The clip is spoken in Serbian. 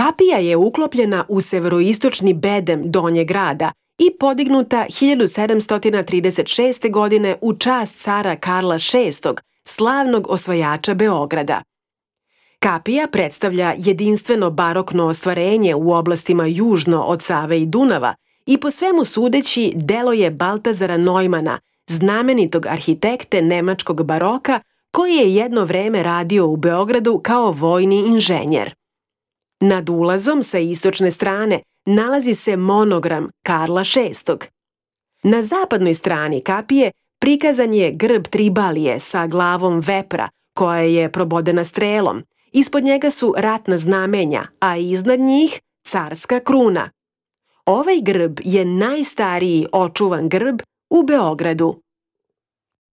Kapija je uklopljena u severoistočni bedem Donjeg grada i podignuta 1736. godine u čast cara Karla VI, slavnog osvajača Beograda. Kapija predstavlja jedinstveno barokno ostvarenje u oblastima južno od Save i Dunava i po svemu sudeći delo je Baltazara Neumana, znamenitog arhitekte nemačkog baroka koji je jedno vreme radio u Beogradu kao vojni inženjer. Nad ulazom sa istočne strane nalazi se monogram Karla VI. Na zapadnoj strani kapije prikazan je grb Tribalije sa glavom vepra koja je probodena strelom. Ispod njega su ratna znamenja, a iznad njih carska kruna. Ovaj grb je najstariji očuvan grb u Beogradu.